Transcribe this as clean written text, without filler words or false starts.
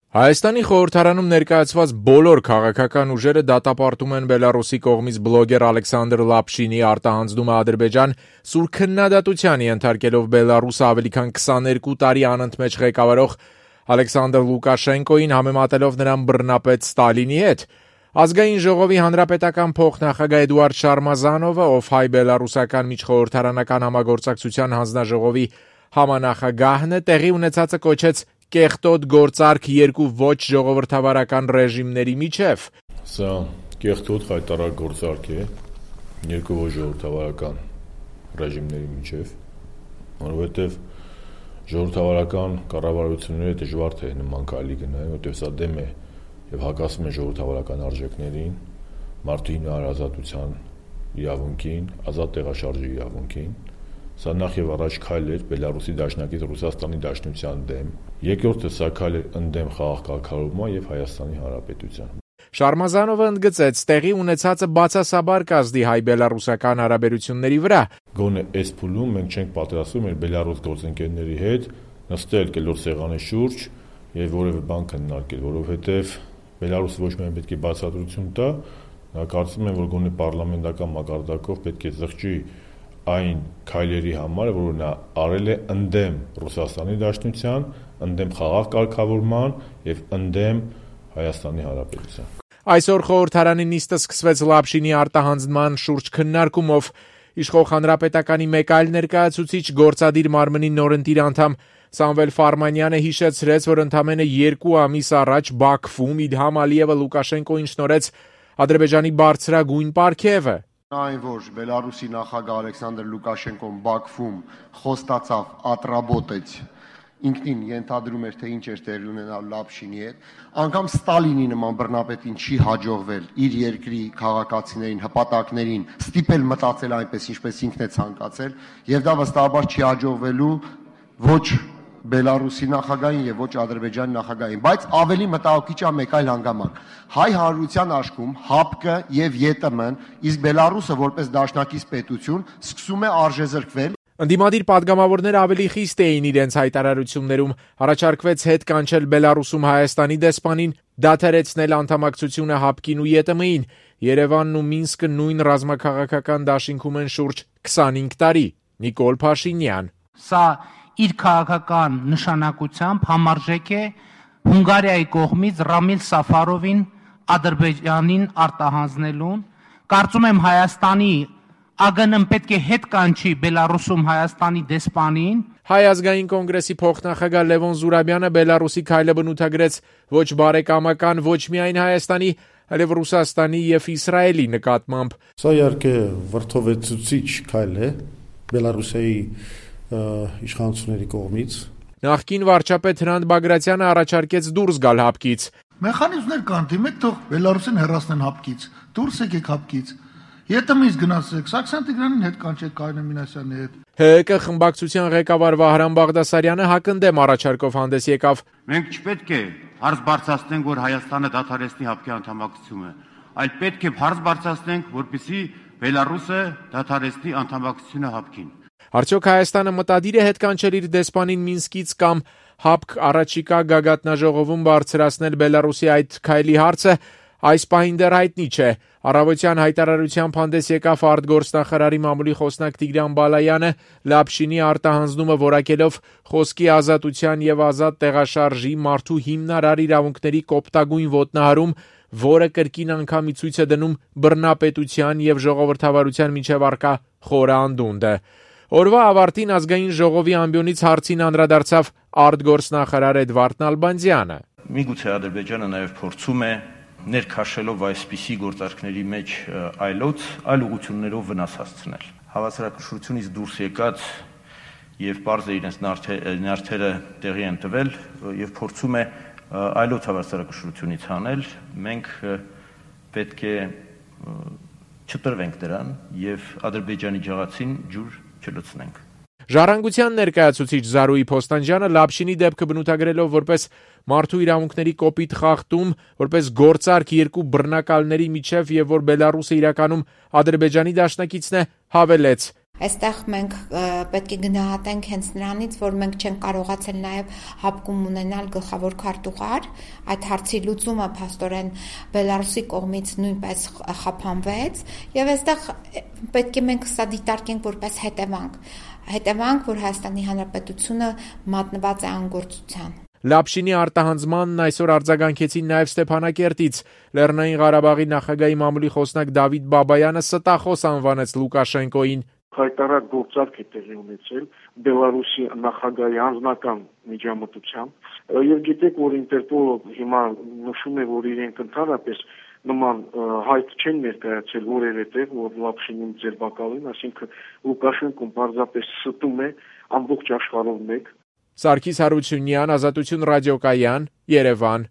Հայաստանի խորհրդարանում ներկայացված բոլոր քաղաքական ուժերը դատապարտում են Բելարուսի կողմից բլոգեր Ալեքսանդր Լապշինի արտահանձնումը Ադրբեջան, սուր քննադատության ենթարկելով Բելարուսը ավելի քան 22 տարի անընդմեջ ղեկավարող Ալեքսանդր Լուկաշենկոին, համեմատելով նրան բռնապետ Ստալինի հետ։ Ազգային ժողովի հանրապետական փոխնախագահ Էդուարդ Շարմազանովը, ով հայ-բելարուսական միջխորհրդարանական համագործակցության հանձնաժողովի համանախագահն է, տեղի ունեցածը կոչեց կեղտոտ գործարք երկու ոչ ժողովրդավարական ռեժիմների միջև։ Սա կեղտոտ խայտարակ գործարք է երկու ոչ ժողովրդավարական ռեժիմների միջև, որովհետև ժողովրդավարական կառավարությունները դժվար թե նման քայլի գնային, որովհետև սա դեմ է եւ հակասում է ժողովրդավարական արժեքներին, մարդու հիմնարար ազատության իրավունքին, ազատ տեղաշարժի իրավունքին։ Սա նախ եւ առաջ քայլ էր Բելարուսի դաշնակից Ռուսաստանի Դաշնության դեմ, երկրորդը սա քայլ էր ընդդեմ խաղաղ կարգավորման եւ Հայաստանի Հանրապետության։ Շարմազանովը ընդգծեց, տեղի ունեցածը բացասաբար կազդի հայ-բելարուսական հարաբերությունների վրա։ Գոնե այս փուլում մենք չենք պատրաստվում մեր Բելարուս գործընկերների հետ նստել կլոր սեղանի շուրջ եւ որևէ բան քննարկել, որովհետեւ Բելարուսը ոչ միայն պետք է բացատրություն տա, նա կարծում եմ, որ գոնե պարլամենտական մակարդակով պետք է զղջի այն քայլերի համար, որ նա արել է ընդդեմ Ռուսաստանի Դաշնության, ընդդեմ խաղաղ կարգավորման եւ ընդդեմ Հայաստանի Հանրապետության։ Այսօր խորհրդարանի նիստը սկսվեց Լապշինի արտահանձնման շուրջ քննարկումով։ Իշխող հանրապետականի մեկ այլ ներկայացուցիչ, գործադիր մարմնի նորընտիր անդամ Սամվել Ֆարմանյանը հիշեցրեց, որ ընդամենը 2 ամիս առաջ Բաքվում Իլհամ Ալիևը Լուկաշենկոին շնորհեց Ադրբեջանի բարձրագույն պարգևը։ Այն որ Բելարուսի նախագահ Ալեքսանդր Լուկաշենկոն Բաքվում խոստացավ ատրաբոտեց, ինքնին ենթադրում էր, թե ինչ էր տեղի ունենալ Լապշինի հետ, անգամ Ստալինի նման բռնապետին չի հաջողվել իր երկրի քաղաքացիներին, հպատակներին ստիպել մտածել այնպես, ինչպես ինքն է ցանկացել, եւ դա վստահաբար չի հաջողվելու ոչ Բելարուսի նախագահին եւ ոչ Ադրբեջանի նախագահին, բայց ավելի մտահոգիչ է մեկ այլ հանգամանք։ Հայ հանրության աշխում ՀԱՊԿ եւ ԵՏՄ-ն, իսկ Բելարուսը որպես դաշնակից պետություն սկսում է արժեզրկվել։ Ընդդիմադիր падգամավորները ավելի խիստ էին իրենց հայտարարություններում, առաջարկվեց հետ կանչել Բելարուսում Հայաստանի դեսպանին, դադարեցնել անդամակցությունը ՀԱՊԿ-ին ու ԵՏՄ-ին։ Երևանն ու Մինսկը նույն ռազմաքաղաքական դաշինքում են շուրջ 25 տարի։ Նիկոլ Փաշինյան։ Սա իր քաղաքական նշանակությամբ համարժեք է Հունգարիայի կողմից Ռամիլ Սաֆարովին Ադրբեջանին արտահանձնելուն։ Կարծում եմ Հայաստանի ԱԳՆ-ն պետք է հետ կանչի Բելարուսում Հայաստանի դեսպանին։ Հայ ազգային կոնգրեսի փոխնախագահ Լևոն Զուրաբյանը Բելարուսի քայլը բնութագրեց ոչ բարեկամական, ոչ միայն Հայաստանի, այլև Ռուսաստանի եւ Իսրայելի նկատմամբ։ Սա իհարկե վրդովեցուցիչ քայլ է Բելարուսի իշխանությունների կողմից։ Նախկին վարչապետ Հրանտ Բագրատյանը առաջարկեց դուրս գալ ՀԱՊԿ-ից։ Մեխանիզմներ կան, դիմեք թող Բելարուսին հեռացնեն ՀԱՊԿ-ից, դուրս եկեք ՀԱՊԿ-ից։ ԵՏՄ-ից գնացեք, Սարգսյան Տիգրանին հետ կանչեք, Կարինե Մինասյանի հետ։ ՀՀԿ խմբակցության ղեկավար Վահրամ Բաղդասարյանը հակընդդեմ առաջարկով հանդես եկավ։ Մենք չպետք է հարց բարձրացնենք, որ Հայաստանը դադարեցնի ՀԱՊԿ-ի անդամակցությունը, այլ պետք է հարց բարձրացնենք, որպեսզի Բելարուսը դադարեցնի անդամակցությունը ՀԱՊԿ-ին։ Արդյոք Հայաստանը մտադիր է հետ կանչել իր դեսպանին Մինսկից կամ ՀԱՊԿ առաջիկա գագաթնաժողովում բարձրացնել Բելարուսի այդ քայլի հարցը, այս պահին դեռ հայտնի չէ։ Առավոտյան հայտարարությամբ հանդես եկավ արտգործնախարարի մամուլի խոսնակ Տիգրան Բալայանը, Լապշինի արտահանձնումը որակելով խոսքի ազատության եւ ազատ տեղաշարժի մարդու հիմնարար իրավունքների կոպտագույն ոտնահարում, որը կրկին անգամ ցույց է դնում բռնապետության եւ ժողովրդավարության միջև առկա խորը անդունդը։ Օրվա ավարտին ազգային ժողովի ամբիոնից հարցին անդրադարձավ արտգործնախարար Էդվարդ Նալբանդյանը։ Միգուցե Ադրբեջանը նաև փորձում է ներքաշելով այսպիսի գործարքների մեջ այլ ուղղություններով վնաս հասցնել։ Հավասարակշռությունից դուրս եկած եւ պարզ է իրենց նյարդերը տեղի են տվել եւ փորձում է այլոց հավասարակշռությունից հանել։ Մենք պետք է չտրվենք դրան եւ Ադրբեջանի ջղացին ջուր չլցնենք։ Ժառանգության ներկայացուցիչ Զարուհի Փոստանջյանը Լապշինի դեպքը բնութագրելով որպես մարդու իրավունքների կոպիտ խախտում, որպես գործարք երկու բռնակալների միջև եւ որ Բելարուսը իրականում Ադրբեջանի դաշնակիցն է, հավելեց. Այստեղ մենք պետք է գնահատենք հենց նրանից, որ մենք չենք կարողացել նաև հապկում ունենալ գլխավոր քարտուղար, այդ հարցի լուծումը փաստորեն Բելարուսի կողմից նույնպես խափանվեց, եւ այստեղ պետք է մենք սա դիտարկենք որպես հետևանք, որ Հայաստանի Հանրապետությունը մատնված է անգործության։ Լապշինի արտահանձմանն այսօր արձագանքեցին նաև Ստեփանակերտից։ Լեռնային Ղարաբաղի նախագահի մամուլի խոսնակ Դավիթ Բաբայանը ստախոս անվանեց Լուկաշենկոին։ Հայտարար գործարք է տեղի ունեցել Բելարուսի նախագահի անձնական միջամտությամբ եւ գիտեք, որ Ինտերպոլը հիմա նշում է, որ իրենք ընդհանրապես նման հայտ չեն ներկայացել որևէ տեղ, որ Լապշինին ձերբակալեն, այսինքն Լուկաշենկոն պարզապես ստում է ամբողջ աշխարհով մեկ։ Սարգիս Հարությունյան, Ազատություն ռադիոկայան, Երևան։